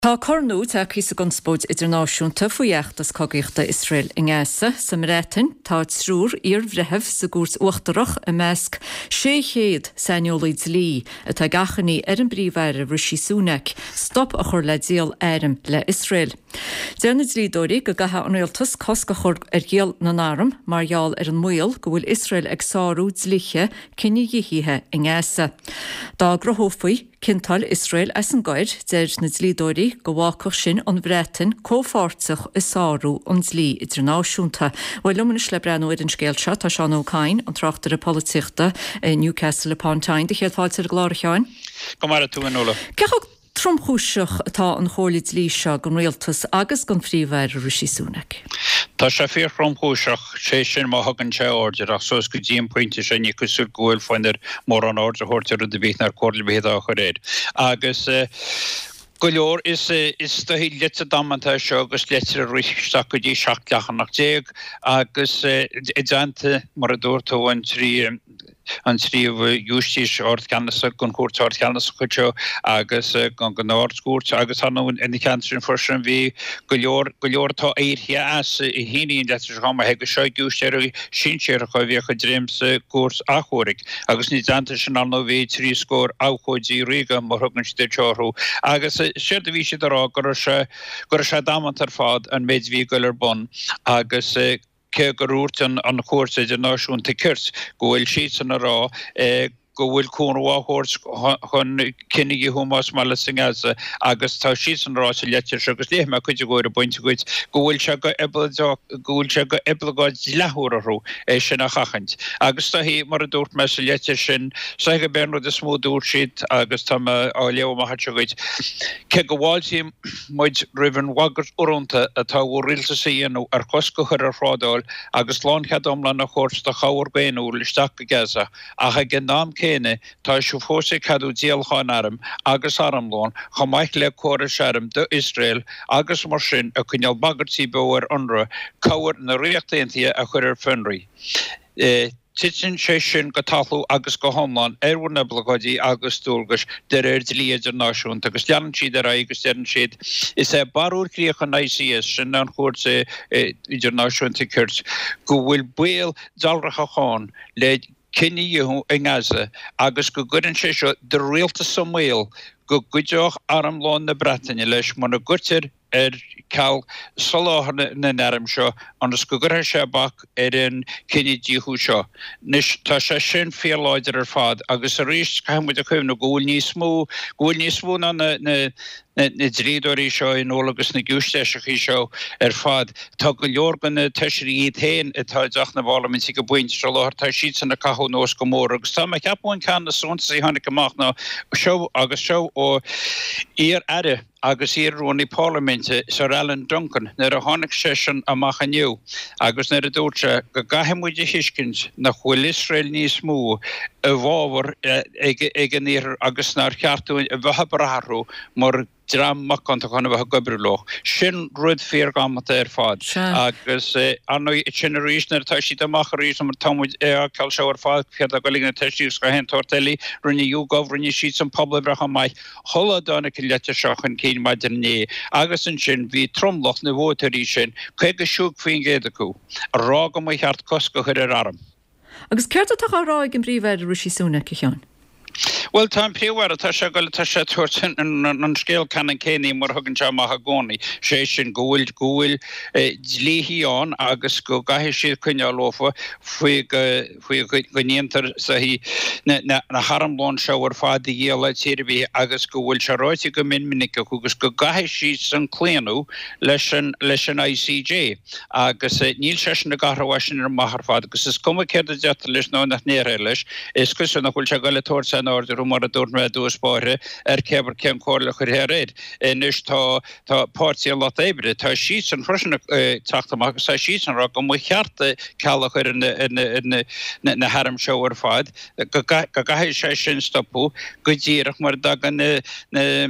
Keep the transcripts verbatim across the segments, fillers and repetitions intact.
Tá cor nua tagtha sa gconspóid idirnáisiúnta faoi fheachtas cogaíochta Iosrael i nGaza. Sa mBreatain, tá triúr iarbhreitheamh sa gCúirt Uachtarach i measc sé chéad saineolaí dlí atá ag achainí ar an bPríomh-Aire Rishi Sunak stop a chur le díol airm le Iosrael. Deir na dlíodóirí go gcaithfidh an rialtas cosc a chur ar dhíol na n-arm mar gheall ar an mbaol go bhfuil Iosrael ag sárú dlíthe cinedhíothaithe i nGaza. Dá gcruthófaí ciontáil Iosrael as an gcoir, deir na dlíodóirí go bhfágfadh sin an Bhreatain comhpháirteach i sárú an dlí idirnáisiúnta. Bhuel, liom anois le breathnú ar an scéal seo tá Seán Ó Cadhain, an tráchtaire polaitíochta i Newcastle upon Tyne. Do chéad fáilte ar an gclár, a Sheáin. Go maire tú, a Nuala. Cé chomh tromchúiseach atá an chomhairle dlí seo don rialtas agus don Phríomh-Aire Rishi Sunak? Tá sé fíorthromchúiseach, sé sin má thugann sé aird air, ach suas go dtí an pointe sin ní cosúil go bhfuil fonn air mórán aird a thabhairt ar rud ar bith ná ar chomhairle ar bith atá á chur air. Agus go leor, is is dóichí litir damanta é seo agus litir a rith isteach go dtí seacht leathanach déag agus i dteannta, mar a dúirt tú, an trí an tríú Giúistís Ard-Cheannasach den Chúirt Ard-Cheannasach anseo agus den Ard-Chúirt agus ar ndóigh ina theannta sin freisin bhí go leor go leor atá éirithe as a shínigh an litir seo chomh maith agus seo giúistéirí sinsearacha a bhíodh ag dréim sa gCúirt Achomhairc agus ina dteannta sin ar ndóigh bhí trí scór abhcóidí ríoga mar thugann siad anseo orthu agus séard a bhí siad a rá go raibh sé go raibh sé damanta ar fad an méid a bhí ag goil ar bun agus cé gur dhúirt an Chúirt Idirnáisiúnta Cirt go bhfuil siadsan ag rá go bhfuil cúnamh á thabhairt chun cinedhíothú más maith leat i nGaza agus tá siadsan ag rá sa litir seo, agus léifidh mé cuid de ar an bpointe dhuit, go bhfuil sé go go bhfuil sé go oibleagáid dleathúil orthu é sin a sheachaint. Agus is dóichí, mar a dúirt mé sa litir sin, is dóichí gurb é an rud is mó a dúirt siad agus tá mé á léamh amach anseo dhuit, cé go bhfáiltíonn muid roimh an bhagairt urrúnta atá bhur rialtas a dhéanamh ar chosc a chur ar thrádáil agus lánchead iomlán a thabhairt do chabhair dhaonnúil isteach go Gaza, ach ag an am céanna tá sibh fós ag ceadú díolachán arm agus armlón chomh maith le córais airm do Iosrael agus mar sin ag coinneáil bagairtí beo ar UNRWA cabhair na Ríochta Aontaithe a chur ar fionraí. Titeann sé sin go talamh agus go hiomlán ar bhur n-oibleagáidí agus dualgais de réir dlí idirnáisiúnta agus leanann siad ar aghaidh agus deireann siad, Is é barúil chríoch an I C S, sin an Chúirt Idirnáisiúnta Cirt, go bhfuil baol dealraitheach ann le cinedhíothú i nGaza agus go gcuireann sé seo do rialtas i mbaol go gcuideodh armlón na Breataine leis muna gcuirtear ar ceal soláthar na n-arm seo ionas go gcuirfidh sé bac ar an cinedhíothú seo. Anois, tá sé sin fíorláidir ar fad agus arís caithfidh muid a chuimhneamh go bhfuil níos mó, go bhfuil níos mó ná na, na, na dlíodóirí seo in iúl agus na giúistéiseachaí seo ar fad. Tá go leor de na feisirí iad féin atá i dTeach na bParlaiminte ag an bpointe seo láthair, tá siadsan ag caitheamh anuas go mór agus tá mé ag ceapadh an ceann is suntasaí a tháinig amach ná seo agus seo ó iar-aire agus iar-rúnaí parlaiminte, Sir Alan Duncan, nuair a tháinig seisean amach inniu agus nuair a dúirt sé go gcaithfidh muid a thuiscint nach bhfuil Iosrael níos mó i bhfabhar ag an Iarthar agus nár cheart dúinn a bheith ag brath orthu mar dream macánta chun a bheith ag oibriú leo. Sin rud fíordhamanta ar fad. Agus ar ndóigh, sin arís nuair atá siad amach arís, mar tá muid ag feiceáil seo ar fad, céard atá ag goil ag na Taoisigh agus gach aon tsórt eile, rinne YouGov, rinne siadsan pobalbhreith chomh maith, shula dtáinig an litir seo chun cinn maidin inné, agus ansin bhí tromlach na vótóirí sin, caoga a cúig faoin gcéad acu, ag rá go mba cheart cosc a chur ar airm. Agus céard atá á rá ag an bPríomh-Aire Rishi Sunak, a Sheáin? Bhuel, tá an Príomh-Aire, tá sé ag goil, tá sé ag tabhairt an scéal ceannann céanna mar a thugann sé amach i gcónaí, sé sin go bhfuil, go bhfuil dlíthí ann agus go gcaithfidh siad coinneáil leofa faoi go, faoi go ndéantar na na harmlón seo ar fad a dhíol le tír ar bith agus go bhfuil sé ráite go mion minic acu agus go gcaithfidh siadsan claonadh leis an leis an I C J agus níl seisean ag athrú as sin amach ar fad agus is cuma céard a deirtear leis nó nach ndéarfar leis, is cosúil nach bhfuil sé ag goil ag tabhairt aon aird orthu mar a dúirt mé i dtús báire ar cé cén chomhairle a chuirfear air. Anois tá Tá Páirtí an Lucht Oibre, tá siadsan freisin ag teacht amach agus tá siadsan ag rá go mba cheart ceal a chur ar na na hairm seo ar fad, go gcaithfidh sé sin stopadh go díreach mar a dtagann na na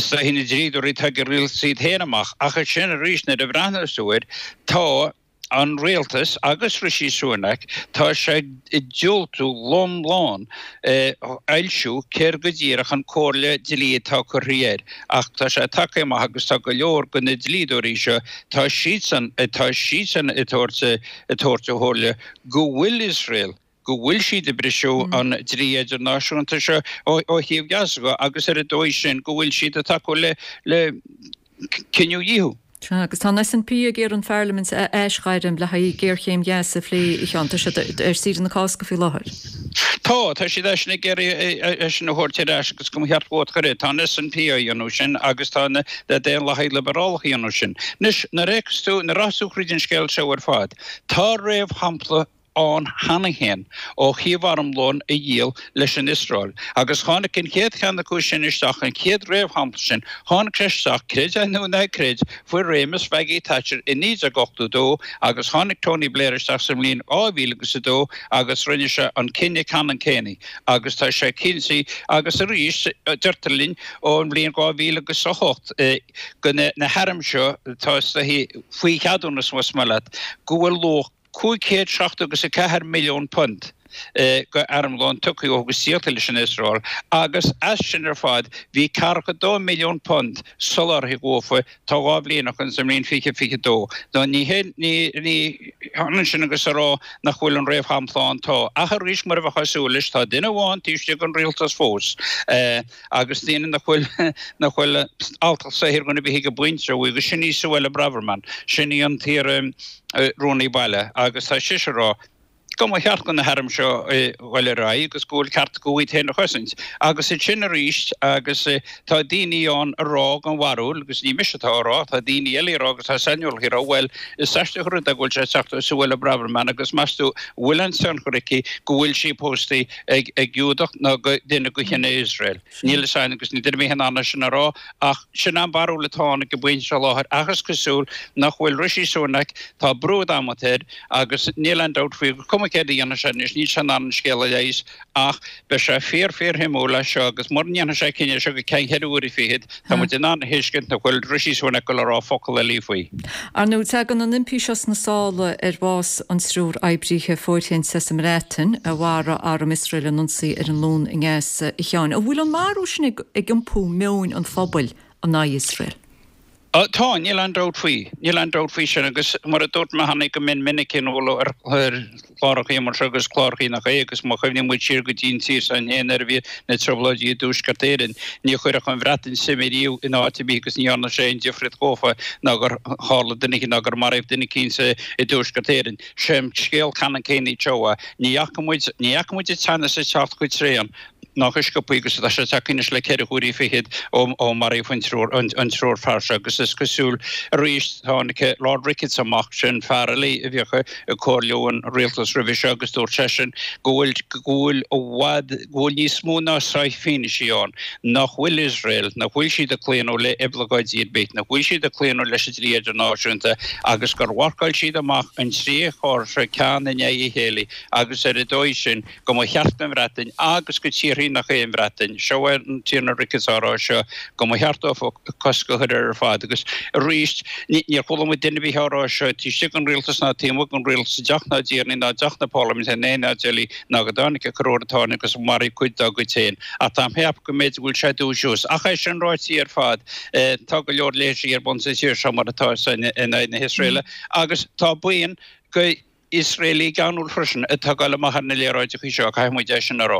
dlíodóirí atá ag an rialtas iad féin amach. Ach ansin arís nuair a bhreathnós tú air, tá. an rialtas agus Rishi Sunak, tá sé ag diúltú lom lán fhoilsiú céard go díreach an comhairle dlí atá curtha air, ach tá sé tagtha amach agus tá go leor de na dlíodóirí seo, tá siadsan, tá siadsan ag tabhairt ag tabhairt a chomhairle go bhfuil Iosrael, go bhfuil siad ag briseadh an dlí idirnáisiúnta seo ó thaobh Gaza de agus ar an dóigh sin go bhfuil siad ag tacú le le cinedhíothú. Sea, agus tá an SNP ag iarraidh an Pharlaimint a aisghairm le haghaidh géarchéim Ghaza a phlé, a Sheáin. Tá siad ar saoire na Cásca faoi láthair. Tá, tá siad eisean ag iarraidh é sin a thabhairt ar ais agus go mba cheart vóta a chur air. Tá an SNP á dhéanamh sin agus tá na Daonlathaigh Liobarálacha á dhéanamh sin. Anois, nuair a fhéachas tú, nuair a rachas tú thríd an scéal seo ar fad, tá réamhshampla ann cheana féin ó thaobh armlón a dhíol leis an Iosrael. Agus tháinig an chéad cheann acu sin isteach, an chéad réamhshampla sin, tháinig sé isteach, creid é nó ná creid, faoi réimeas Mhaggie Thatcher i naoi déag ochtó dó agus tháinig Tony Blair isteach sa mbliain dhá mhíle agus a dó agus rinne sé an cinneadh ceannann céanna agus tá sé cinnte agus arís deirtear linn ón mbliain dhá mhíle agus a hocht go na hairm seo atá faoi cheadúnas más maith leat go bhfuil luach cúig chéad seachtó agus a ceathair milliún punt go armlón tugtha agus díolta leis an Iosrael agus as sin ar fad bhí ceathracha dó milliún punt soláthartha dhófa tá dhá bhliain ó shin sa mbliain fiche fiche dó. Nó ní hé ní ní hionann sin agus a rá nach bhfuil an réamhshampla ann tá. Ach arís mar a bheifeá ag súil leis tá duine amháin taobh istigh den rialtas fós agus daoine nach bhfuil nach bhfuil alltacht saothair dhuine ar bith ag baint leo agus sin í Suella Braverman sin í an t-iar Rúnaí Baile agus tá sise ag rá go mba cheart do na hairm seo dhul ar aghaidh agus go bhfuil ceart acu iad féin a chosaint. Agus ansin arís agus tá daoine ann ag rá den bharúil, agus ní mise atá á rá, tá daoine eile ag rá agus tá saineolaithe ag rá, bhuel, is aisteach an rud é go bhfuil sé ag teacht ó Suella Braverman agus meas tú an bhfuil aon tionchar aici go bhfuil sí pósta ag Giúdach nó go duine de chine Iosrael. Níl a fhios againn agus níl duine ar bith in ann é sin a rá ach sin an barúil atá ann ag an bpointe seo láthair ach is cosúil nach bhfuil Rishi Sunak, tá brú adamanta air agus níl aon dabht faoi gur cuma céard a dhéanfaidh sé anois, níl sé in ann an scéal a leigheas ach beidh sé fíor fíor shuimiúil é seo agus mura ndéanfaidh sé cinneadh seo go ceann ceithre huaire fichead, tá muid in ann a thuiscint nach bhfuil Rishi Sunak ag dul a rá focal eile faoi. Ar ndóigh, tagann an impí seo sna sála ar bhás an triúr oibrithe fóirithinte sa mBreatain a mharaigh arm Iosrael in ionsaí ar an Luan i nGaza, a Sheáin. An bhfuil an marú sin ag iompú meoin an phobail in aghaidh Iosrael? Tá, níl aon dabht faoi. Níl aon dabht faoi sin agus mar a dúirt mé cheana go mion minic in ar chlárachaí mar seo agus clárachaí nach é agus má chuimhníonn muid siar go dtí an tír s'againn féin nuair a bhí na trioblóidí i dTuaisceart Éireann, ní chuirfeadh an Bhreatain suim ariamh in áit ar bith agus ní dhearna sé aon difríocht dhófa ná gur tharla duine ná gur maraíodh duine eicínt i dTuaisceart Éireann. Sé an scéal ceannann céanna anseo é. Ní fhaca muid, ní fhaca muid an teannas ag teacht chomh tréan ná chomh sciobtha agus atá sé tagtha anois le ceithre huaire fichead ó maraíodh an triúr an triúr fear seo agus is cosúil arís tháinig Lord Ricketts amach, sin fear eile a bhíodh ag comhairliú an rialtas roimhe seo agus dúirt seisean go bhfuil go bhfuil i bhfad go bhfuil níos mó ná sáith fianaise ann nach bhfuil Iosrael, nach bhfuil siad ag claonadh le oibleagáidí ar bith, nach bhfuil siad ag claonadh leis an dlí idirnáisiúnta agus gur mharcáil siad amach an trí chor seo ceann i ndiaidh a chéile agus ar an dóigh sin go mba cheart don Bhreatain agus go tíorthaí nach é an Bhreatain, seo é an Tiarna Ricketts á rá seo, go mba cheart dófa cosc a chur air ar fad. Agus arís, níor chuala muid duine ar bith á rá seo taobh istigh den rialtas ná taobh amuigh den rialtas i dTeach na dTiarnaí ná i dTeach na Parlaiminte in aon áit eile ná go dtáinig an corruair a tháinig agus maraíodh cuid dá gcuid féin. Ach táim ag ceapadh go mb'fhéidir go bhfuil sé ag dúisiú. Ach é sin ráite ar fad, tá go leor léirsithe ar bun sa tír seo mar atá in aghaidh na hIosraeile agus tá buíon go Iosraelaigh geanúil freisin atá ag dul amach ar na léaráideacha seo, caithfidh muid é sin a rá.